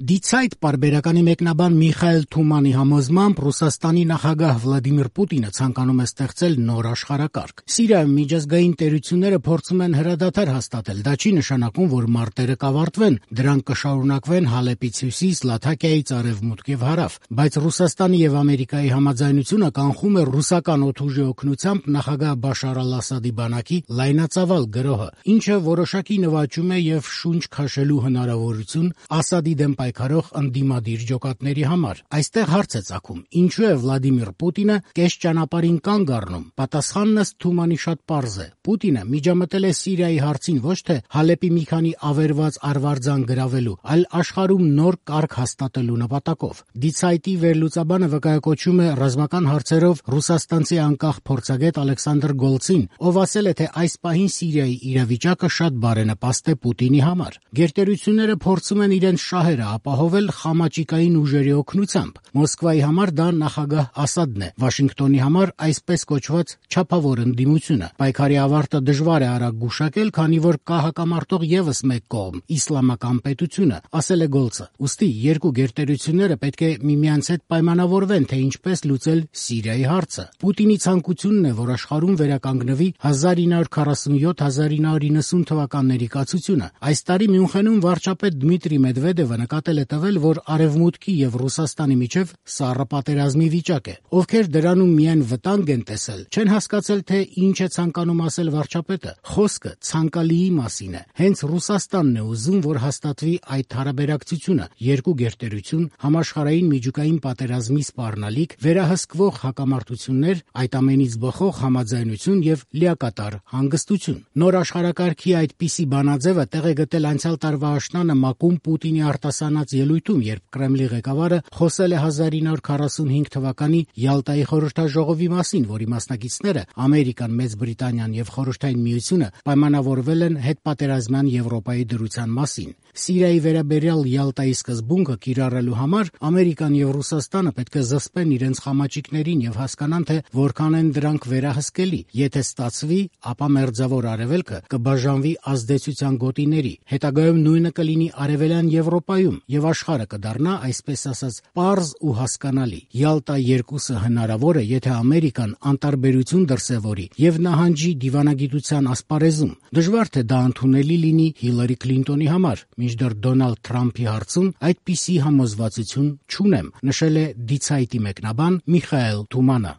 Die Zeit պարբերականի մեկնաբան Միխայել Թումանի համոզմամբ Ռուսաստանի նախագահ Վլադիմիր Պուտինը ցանկանում է ստեղծել նոր աշխարհակարգ։ Սիրիայում միջազգային տերությունները փորձում են հրադադար հաստատել, դա չի նշանակում, որ մարտերը կավարտվեն, դրանք կշարունակվեն Հալեպից հյուսիս, Լաթաքիայից արևմուտք եւ հարավ, բայց Ռուսաստանի եւ Ամերիկայի համաձայնությունը կանխում է ռուսական օդուժի օգնությամբ նախագահ Բաշար al-Ասադի բանակի լայնածավալ գրոհը, ինչը որոշակի նվաճում է եւ շունչ քաշելու հնարավորություն Ասադի դեմ պայքարող ընդդիմադիր ջոկատների համար։ Այստեղ հարց է ծագում. ինչու է Վլադիմիր Պուտինը կես ճանապարհին կանգ առնում։ Պատասխանն ըստ Թումանի շատ պարզ է. Պուտինը միջամտել է Սիրիայի հարցին ոչ թե Հալեպի մի քանի ավերված արվարձան գրավելու, այլ աշխարհում նոր կարգ հաստատելու նպատակով։ Die Zeit-ի վերլուծաբանը վկայակոչում է ռազմական հարցերով ռուսաստանցի անկախ փորձագետ Ալեքսանդր Գոլցին, ով ասել է, թե այս պահին Սիրիայի իրավիճակը շատ բարենպաստ է Պուտինի համար։ Գերտերությունները փորձում են իրենց շահերը ապահովել խամաճիկային ուժերի օգնությամբ։ Մոսկվայի համար դա նախագահ Ասադն է, Վաշինգտոնի համար այսպես կոչված չափավոր ընդդիմությունը։ Պայքարի ավարտը դժվար է արագ գուշակել, քանի որ կա հակամարտող եւս մեկ կողմ՝ իսլամական պետությունը, ասել է Գոլցը։ Ուստի երկու գերտերությունները պետք է միմյանց հետ պայմանավորվեն, թե ինչպես լուծել Սիրիայի հարցը։ Պուտինի ցանկությունն է, որ աշխարհում վերականգնվի 1947-1990 թվականների կացությունը։ Այս տարի Մյունխենում վարչապետ Դմիտրի Մեդվեդևը նկատել է տվել, որ Արևմուտքի եւ Ռուսաստանի միջև սառը պատերազմի վիճակ է։ Ովքեր դրանում միայն վտանգ են տեսել, չեն հասկացել, թե ինչ է ցանկանում ասել վարչապետը։ Խոսքը ցանկալիի մասին է։ Հենց Ռուսաստանն է ուզում, որ հաստատվի այդ հարաբերակցությունը՝ երկու գերտերություն, համաշխարհային միջուկային պատերազմի սպառնալիք, վերահսկվող հակամարտություններ, այդ ամենից բխող համաձայնություն եւ լիակատար հանգստություն։ Նոր աշխարհակարգի այդպիսի բանաձևը տեղ է գտել անցյալ տարվա աշնանը ՄԱԿ-ում Պուտինի արտասանած ելույթում, երբ Կրեմլի ղեկավարը խոսել է 1945 թվականի Յալտայի խորհրդաժողովի մասին, որի մասնակիցները Ամերիկան, Մեծ Բրիտանիան եւ Խորհրդային Միությունը պայմանավորվել են հետպատերազմյան Եվրոպայի դրության մասին։ Սիրիայի վերաբերյալ Յալտայի սկզբունքը կիրառելու համար Ամերիկան եւ Ռուսաստանը պետք է զսպեն իրենց խամաճիկներին եւ հասկանան, թե որքան են դրանք վերահսկելի։ Եթե ստացվի, ապա Մերձավոր Արևելքը կբաժանվի ազդեցության գոտիների։ Հետագայում նույնը կլինի Արևելյան Եվրոպայում եւ աշխարհը կդառնա, այսպես ասած, պարզ ու հասկանալի։ Յալտա 2-ը հնարավոր է, եթե Ամերիկան անտարբերություն դրսևորի եւ նահանջի դիվանագիտության ասպարեզում։ Դժվար թե դա ընդունելի լինի Հիլարի Քլինտոնի համար, մինչդեռ Դոնալդ Թրամփի հարցում այդպիսի համոզվածություն չունեմ, նշել է Die Zeit-ի մեկնաբան Միխայել Թումանը։